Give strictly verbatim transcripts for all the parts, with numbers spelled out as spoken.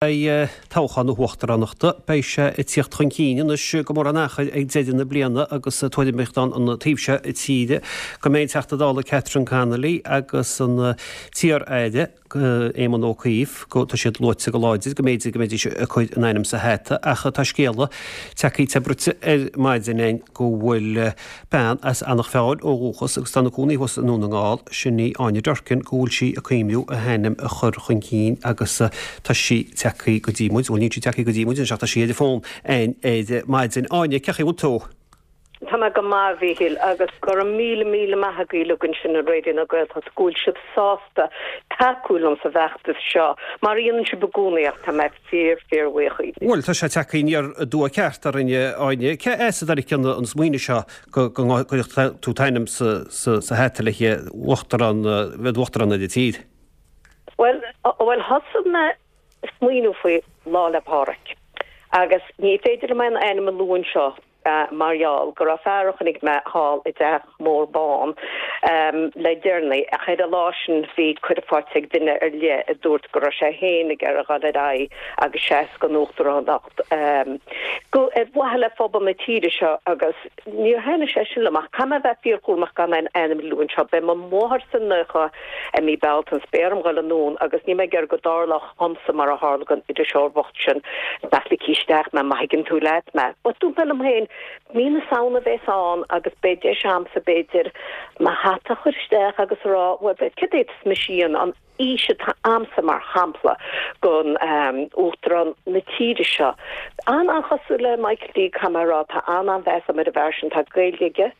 Beidh toghchán na huachtaránachta, beidh sé ag tíocht chun cinn anois go mór an achair ag deireadh na bliana agus tuairimíocht ann an taobh seo tíre go mbeidh an Teachta Dála Catherine Connolly agus an t-iar-aire Éamon Ó Cuív, go tá siad luaite go láidir go mb'fhéidir go mbeidís ag cur a n-ainm sa hata ach tá scéala tagtha te bruite ar maidin againn go bhfuil bean as Eanach Mheáin ó dhúchas agus tá ina cónaí thuas i nDún na nGall, sin í Áine Durkin, go bhfuil sí ag cuimhniú a hainm a chur chun cinn agus tá sí tagtha go dtí muid, bhuel níl sí tagtha go dtí muid anois ach tá sí ar an bhfón againn ar maidin. Áine, cén chaoi a bhfuil tú? Tá mé go maith, a Mhíchíl, agus go raibh míle míle maith agaibh uilig ansin i Raidió na Gaeltachta go bhfuil sibh sásta tacú liom sa bhfeachtas seo, mar a dhéanann sibh i gcónaí ach tá mé fíor fíor bhuíoch díbh. Bhuel, tá sé tagtha aniar aduaidh ceart orainn, Áine. Cé as a dtáinig an smaoineamh seo go gcuirfeadh tú t'ainm sa hata le haghaidh uachtarán, bheith uachtarán ar an tír? Bhuel, bhuel thosaigh mé ag smaoineamh faoi Lá 'le Pádraig agus ní féidir liom aon ainm a lua anseo mar gheall go raibh fear a chonaic mé thall i dteach mór bán le deireanaí ach ar an lá sin bhí cuireadh faighte ag duine ar leith a dúirt go raibh sé féin ag iarraidh dhul ar aghaidh agus seasamh don uachtaránacht go ar mhaithe le phobal na tíre seo agus níor thaitnigh sé sin liom ach caithfidh mé a bheith fíorchúramach gan aon ainm a lua anseo. Beidh mo mháthairse naocha i mí Bealtaine 's beidh orm dhul anonn agus níl mé ag iarraidh go dtarlódh dhomsa mar a tharla don iriseoir bhocht sin nach ligfí isteach mé má thuigeann tú leat mé. But dúirt mé liom féin mí na Samhna a bheas ann agus beidh deis a'msa b'fhéidir mo hata a chur isteach agus a rá bhuel céard é atá mise a dhéanamh an fhís atá a'msa mar shampla don Uachtarán na tíre seo. An-an-chosúil le Michael D caithfidh mé a rá tá an-an-mheas a'm ar an bhfear sin tá Gaeilge aige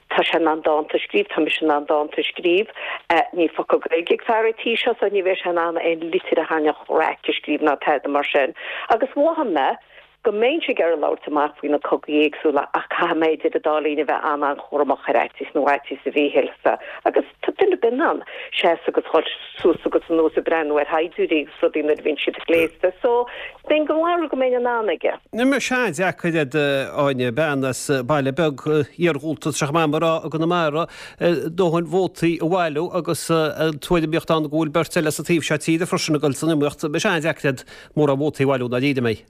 tá sé in ann dánta a scríobh tá mise in ann dánta a scríobh níl focal Gaeilge ag fear an tí seo so ní bheidh sé in ann aon litir a thaitneodh raic a scríobh ná tada mar sin agus mhothaigh mé go mbeinnse ag iarraidh labhairt amach faoi na cogaí éagsúla ach caithfidh mé idir an dá linn a bheith an-an-chúramach ar fhaitíos nó fhaitíos a Mhíchíl agus tá duine ar bith in ann seasamh agus dhul suas agus anuas ag breathnú ar shaighdiúirí agus rudaí nuair a bhíonn siad gléasta so bheinn den bharúil go mbeinn in ann aige. Ní sé an-deacair é Áine, bean as baile beag iarghúlta tá sé chomh maith a rá i gConamara dóthain vótaí a bhailiú agus an tuairimíocht ann go bhfuil beirt eile sa taobh seo tíre freisin ag dul san iomaíocht. Beidh sé an-deacair é mórán vótaí a bhailiú dáiríre mé.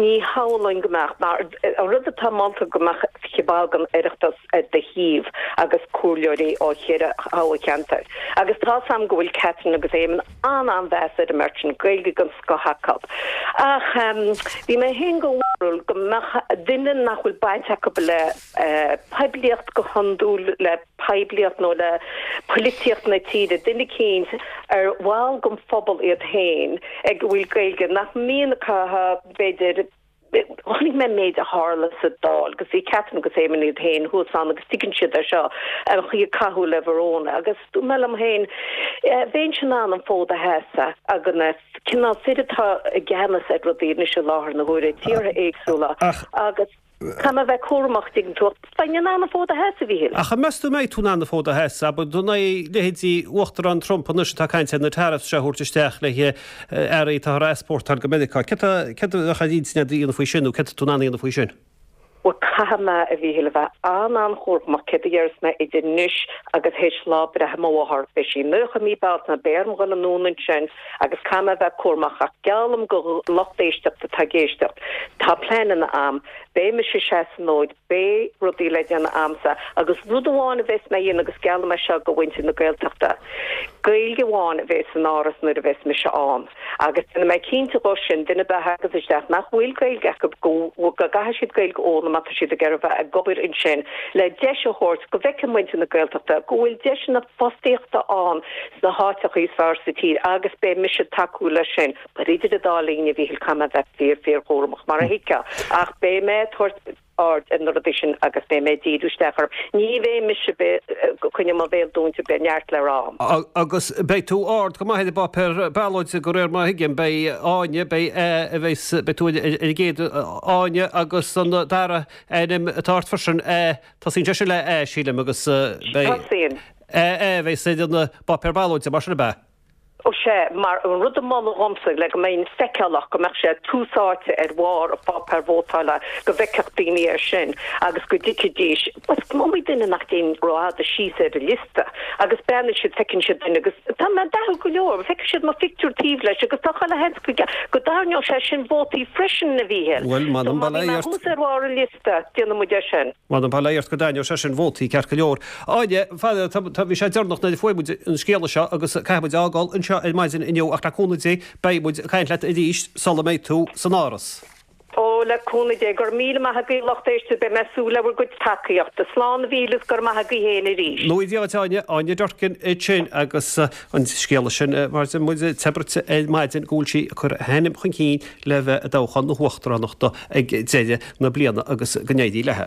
Ní shamhlóinn go mbeadh, mar an rud atá molta go mbeadh fiche ball den Oireachtas ar do thaobh agus comhairleoirí ó cheithre thoghcheantar. Agus tá's a'm go bhfuil Catherine agus Éamon an-an-mheas ar an mbeirt sin, Gaeilge den scoth acu. Ach bhí mé féin den bharúil go mbeadh duine nach bhfuil baint acu le poiblíocht go hiondúil, le poiblíocht nó le polaitíocht na tíre, duine eicínt ar bhall den phobal iad féin ag a bhfuil Gaeilge, nach mbíonn acu b'fhéidir. Chonaic mé an méid a tharla sa Dáil agus bhí Catherine agus Éamon iad féin thuas ann agus tuigeann siad é seo, an chaoi a caitheadh le Verona agus dúirt mé liom féin, bheinnse in ann an fód a sheasamh ag na cineál fir atá i gceannas ar rudaí anois i láthair na huaire, tíortha éagsúla agus. Caithfidh mé a bheith cúramach, tuigeann tú, ach bheinn in ann an fód a sheasamh, a Mhíchíl. Ach an meas tú an mbeidh tú in ann an fód a sheasamh? Abair, in aghaidh leithéidí Uachtarán Trump anois atá ag caint ar na tariffs seo a thabhairt isteach le haghaidh earraí atáthar a easpórtáil go Meiriceá. Céard a bheadh ar intinn agat a dhéanamh faoi sin nó céard atá tú in ann a dhéanamh faoi sin? Bhuel, caithfidh mé, a Mhíchíl, a bheith an-an-chúramach céard a dhéarfas mé idir anois agus théis lá breithe mo mháthar. Beidh sí naocha i mí Bealtaine, beidh orm dhul anonn ansin agus caithfidh mé a bheith cúramach ach geallaim don lucht éisteachta atá ag éisteacht, tá pleananna a'm. Beidh mise ag seasamh an fhóid, beidh rudaí le déanamh a'msa agus rud amháin a bheas mé a dhéanamh agus geallaim é seo do mhuintir na Gaeltachta, Gaeilge amháin a bheas san Áras nuair a bheas mise ann agus déanfaidh mé cinnte dhó sin, duine ar bith a thagas isteach nach bhfuil Gaeilge acu go gcaithfidh siad Gaeilge a fhoghlaim má tá siad ag iarraidh bheith ag obair ansin le deis a thabhairt go bhfeicfidh muintir na Gaeltachta go bhfuil deiseanna fostaíochta ann sna háiteacha is fearr sa tír agus beidh mise ag tacú leis sin. But idir an dá linn, a Mhíchíl, caithfidh mé a bheith fíor, fíor chúramach, mar a thuigfeá. Ach beidh mé ag tabhairt aird ar na rudaí sin agus beidh mé ag díriú isteach orthu. Ní bheidh mise ag coinneáil mo bhéal dúnta, beidh neart le rá a'm. Agus beidh tú ard go maith ar an bpáipéar ballóide, de réir mar a thuigim. Beidh Áine, beidh A, a bheas, beidh tú ar an gcéad Áine agus an dara ainm atá ort freisin, A, tosaíonn sé sin le A, sílim, agus beidh Tosaíonn. A, A a bheas ar an bpáipéar ballóide, mar sin ab ea? Ó sea, mar an rud a moladh dhomsa le go mbeinn feiceálach, go mbeadh sé tús áite ar bharr an pháipéir vótála, go bhfeicfeadh daoine é sin agus go dtuigfidís, is iomaí duine nach dtéann rófhada síos ar an liosta agus breathnaíonn siad, feiceann siad duine agus tá mé dathúil go leor, feicfidh siad mo phictiúr taobh leis agus tá chuile sheans go go dtarraingeodh sé sin vótaí freisin, a Mhíchíl. Bhuel, So m'anam má bail bhí mé ort. thuas ar bharr an liosta, déanfaidh muid é sin. M'anam bail ort go dtarraingeodh sé sin vótaí ceart go leor. Áine, fada, tá, tá, bhí sé deireanach nuair a fuair muid an scéala seo agus caithfidh muid a fhágáil anseo ar maidin inniu ach le cúnamh Dé beidh muid ag caint leat arís sula mbeidh tú san Áras. Ó, le cúnamh Dé, go raibh míle maith agaibh lucht éisteachta, beidh mé ag súil le bhur gcuid tacaíochta. Slán a Mhíchíl is go raibh maith agaibh féin arís. Nó Dia duit Áine, Áine Durkin ansin agus an scéala sin mar a deir muid tabhairt ar maidin go bhfuil sí ag cur a hainm chun cinn le bheith i dtoghchán na huachtaránachta ag deireadh na bliana agus go n-éirí léi.